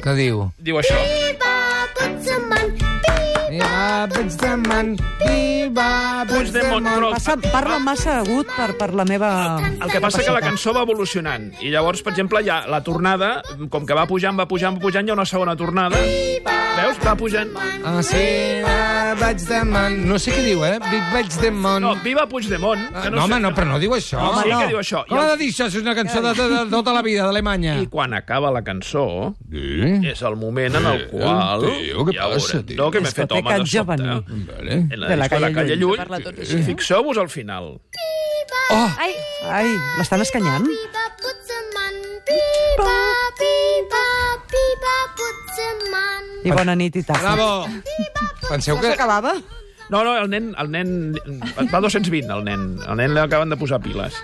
Què diu? Diu això. Puigdemont, Parla massa agut per la meva... El que passa que la cançó va evolucionant. I llavors, per exemple, ja la tornada, com que va pujant, hi ha una segona tornada. Veus? Va pujant. Ah, sí, vaig de man... No sé què diu, vaig de mon... No, viva Puigdemont. No, home, no, però no diu això. No, sí que diu això. Com ha de dir això si és una cançó de tota la vida d'Alemanya? I quan acaba la cançó, és el moment en el qual... Tio, què passa, tio? No, que m'he fet home de sobte. En la disco de la Calle Llull. Fixeu-vos al final. Oh! Ai, l'estan escanyant? I bona nit i taca. Bravo! Penseu que... S'acabava? No, el nen va 220, el nen. El nen li acaben de posar piles.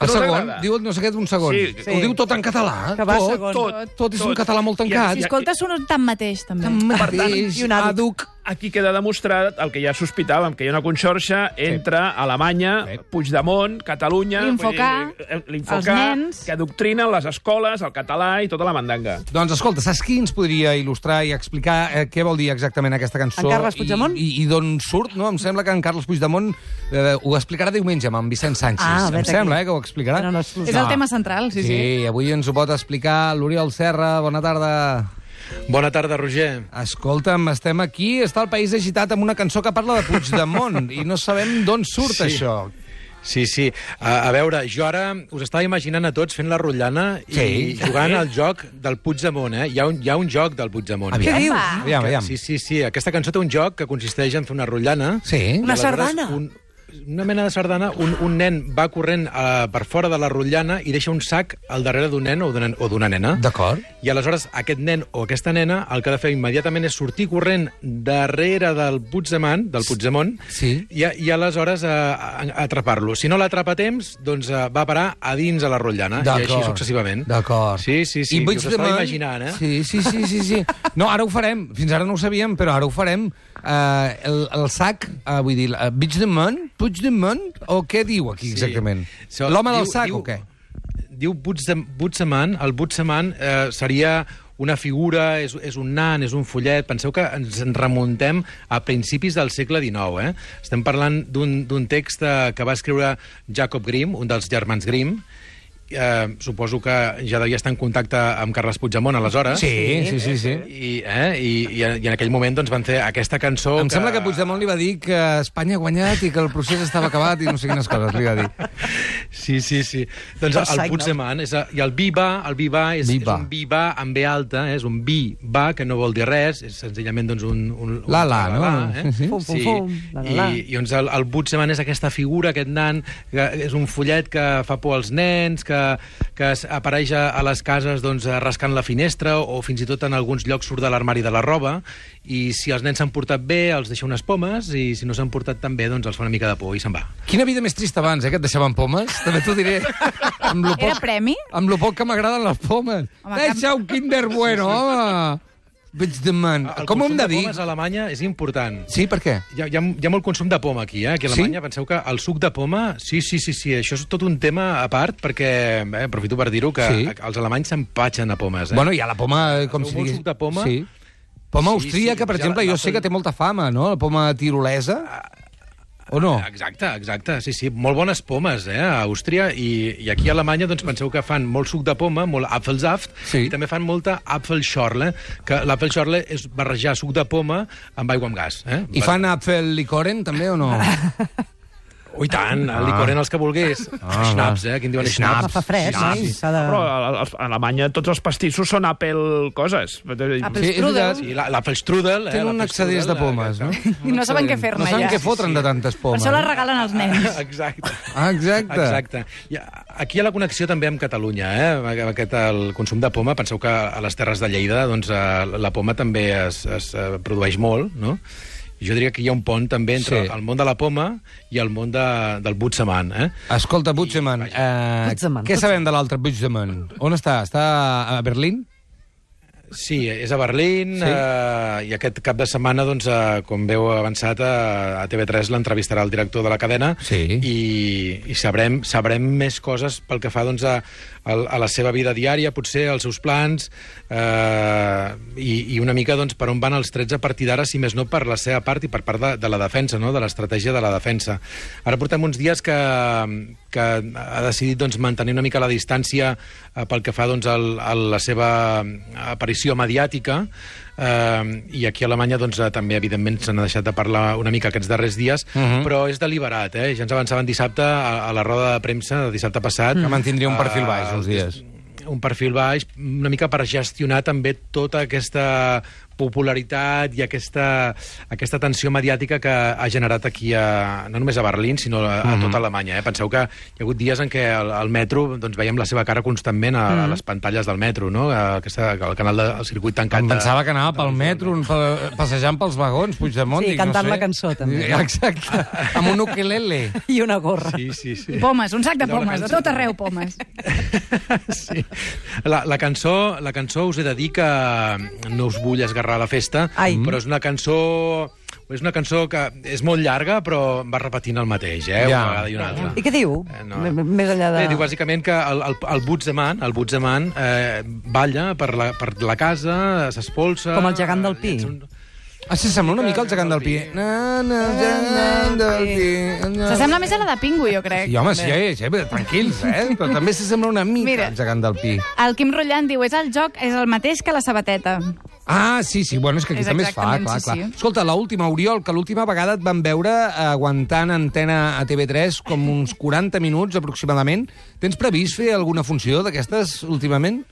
El No us segon? agrada? Diu, no sé què, un segon. Sí. Ho diu tot en català? Que va segon. Tot és un català molt tancat. I escolta, sonen tan mateix, també. Per tant, I un àduc. Aquí queda demostrat el que ja sospitàvem, que hi ha una conxorxa entre Alemanya, Puigdemont, Catalunya... L'Infocar, els nens... que adoctrinen les escoles, el català i tota la mandanga. Doncs escolta, saps qui ens podria il·lustrar i explicar què vol dir exactament aquesta cançó? En Carles Puigdemont? I d'on surt, no? Em sembla que en Carles Puigdemont ho explicarà diumenge amb en Vicent Sánchez. Em sembla, que ho explicarà. És el tema central, sí. Sí, avui ens ho pot explicar l'Oriol Serra. Bona tarda. Bona tarda, Roger. Escolta'm, estem aquí, està el país agitat amb una cançó que parla de Puigdemont i no sabem d'on surt això. Sí. A veure, jo ara us estava imaginant a tots fent la rotllana i jugant al joc del Puigdemont, Hi ha un joc del Puigdemont. Aviam. Què diu? Aviam. Sí. Aquesta cançó té un joc que consisteix en fer una rotllana. Sí. Una sardana. Una mena de sardana, un nen va corrent per fora de la rotllana i deixa un sac al darrere d'un nen o d'una nena. D'acord. I aleshores aquest nen o aquesta nena el que ha de fer immediatament és sortir corrent darrere del Puigdemont, Sí. i aleshores atrapar-lo. Si no l'atrapa a temps, doncs va parar a dins a la rotllana, i així successivament. D'acord. Sí. I Us estava imaginant, Sí. No, ara ho farem. Fins ara no ho sabíem, però ara ho farem. El sac, vull dir, Puigdemont, o què diu aquí exactament? Sí. L'home del sac o què? Diu Puigdemont. El Puigdemont seria una figura, és un nan, és un follet. Penseu que ens en remuntem a principis del segle XIX. Estem parlant d'un text que va escriure Jacob Grimm, un dels germans Grimm. Suposo que ja devia estar en contacte amb Carles Puigdemont aleshores. Sí. I en aquell moment doncs, van fer aquesta cançó... Em sembla que Puigdemont li va dir que Espanya ha guanyat i que el procés estava acabat i no sé quines coses li va dir. Sí. Doncs el Puigdemont i el Viva és un Viva amb B alta, és un Viva, que no vol dir res, és senzillament doncs, un La, no? Fum. I doncs el Puigdemont és aquesta figura, aquest nan, que és un follet que fa por als nens, que apareix a les cases doncs, rascant la finestra o fins i tot en alguns llocs surt de l'armari de la roba, i si els nens s'han portat bé els deixa unes pomes i si no s'han portat tan bé doncs els fa una mica de por i se'n va. Quina vida més trista abans, que et deixaven pomes? També t'ho diré. Era premi? Amb lo poc que m'agraden les pomes. Deixa un Kinder Bueno, home! Puigdemont. Com ho hem de dir? El consum de pomes a Alemanya és important. Sí, per què? Hi ha molt consum de poma aquí, Aquí a Alemanya. Penseu que el suc de poma... Sí. Això és tot un tema a part, perquè, aprofito per dir-ho, que els alemanys s'empatxen a pomes. Bueno, hi ha la poma, com si digués... suc de poma? Sí. Poma austríaca, per exemple, jo sé que té molta fama, no? La poma tirolesa. O no? Exacte. Sí. Molt bones pomes, a Àustria. I aquí a Alemanya, doncs, penseu que fan molt suc de poma, molt Apfelsaft, i també fan molta Apfelschorle, que l'Apfelschorle és barrejar suc de poma amb aigua amb gas. I fan Apfel-Licoren, també, o no? I tant, el licoren els que volgués. Schnaps, aquí en diuen schnaps. Fa fred, sí. Però a Alemanya tots els pastissos són Apple coses. Apfelstrudel. Sí, l'Apfelstrudel. Tenen un excedés de pomes, no? I no saben què fer-ne, ja. No saben què fotre'n de tantes pomes. Per això les regalen als nens. Exacte. Aquí hi ha la connexió també amb Catalunya, el consum de poma. Penseu que a les terres de Lleida doncs, la poma també es produeix molt, no? Jo diria que hi ha un pont també entre el món de la poma i el món del Puigdemont. Escolta, Puigdemont, què sabem de l'altre Puigdemont? On està? Està a Berlín? Sí, és a Berlín, Sí. I aquest cap de setmana, doncs, com veu avançat, a TV3 l'entrevistarà el director de la cadena Sí. i sabrem més coses pel que fa doncs, a la seva vida diària, potser als seus plans, i una mica doncs, per on van els trets a partir d'ara, si més no per la seva part i per part de la defensa, no? De l'estratègia de la defensa. Ara portem uns dies que ha decidit doncs, mantenir una mica la distància pel que fa doncs, a la seva aparició mediàtica, i aquí a Alemanya doncs, també, evidentment, s'han deixat de parlar una mica aquests darrers dies, però és deliberat, ja ens avançaven dissabte a la roda de premsa, dissabte passat. Que mantindria un perfil baix uns dies. Un perfil baix, una mica per gestionar també tota aquesta popularitat i aquesta tensió mediàtica que ha generat aquí, no només a Berlín, sinó a tota Alemanya. Penseu que hi ha hagut dies en què al metro doncs, veiem la seva cara constantment a les pantalles del metro, no? El canal del circuit tancat. Em pensava que anava pel metro, passejant pels vagons, Puigdemont. Sí, dic, cantant no sé. la cançó, també. Exacte, amb un ukelele. I una gorra. Sí. I pomes, un sac de pomes, de tot arreu pomes. Sí. La cançó us he de dir que no us vull esgarrar la festa, però és una cançó que és molt llarga, però va repetint el mateix, una vegada i una altra. I què diu? Més enllà de... Bé, diu bàsicament que el Butzmann balla per la casa, s'espolsa... Com el gegant del Pi. Sí, sembla una mica el gegant del Pi. El gegant del Pi. S'assembla més a la de Pingu, jo crec. Sí, home, sí, tranquils, però també s'assembla una mica al gegant del Pi. El Quim Rotllant diu, és el mateix que la sabateta. Sí, bueno, és que aquí És també es fa, exactament, clar. sí. Escolta, l'última, Oriol, que l'última vegada et van veure aguantant antena a TV3 com uns 40 minuts aproximadament. Tens previst fer alguna funció d'aquestes últimament?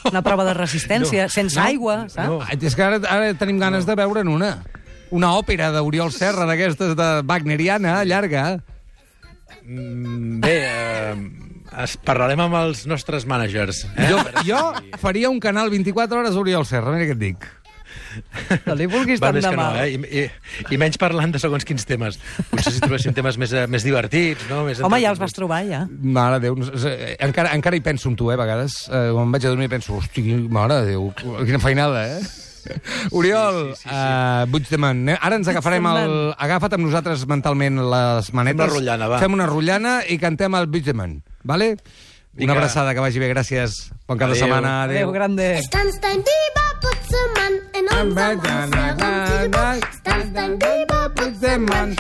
Una prova de resistència, sense aigua, saps? No. És que ara tenim ganes de veure'n una òpera d'Oriol Serra, d'aquestes de wagneriana, llarga. Bé, parlarem amb els nostres mànagers. Jo faria un canal 24 hores Oriol Serra, mira què et dic. No li vulguis tant Més de que no, mal. I menys parlant de segons quins temes. Potser si trobéssim temes més divertits, no? Home, ja els vas trobar, ja. Mare de Déu, encara hi penso en tu, a vegades. Quan em vaig a dormir penso, hosti, mare de Déu, quina feinada, Oriol, Puigdemont, ara ens agafarem agafa't amb nosaltres mentalment les manetes. Fem una rotllana, va. Fem una rotllana i cantem el Puigdemont, vale? Una abraçada, que vagi bé, gràcies. Bon cap de setmana, Adéu, grande. Es tanzt ein Biber-Putzemann in unserem Haus herum. Tanzt ein Biber-Putzemann.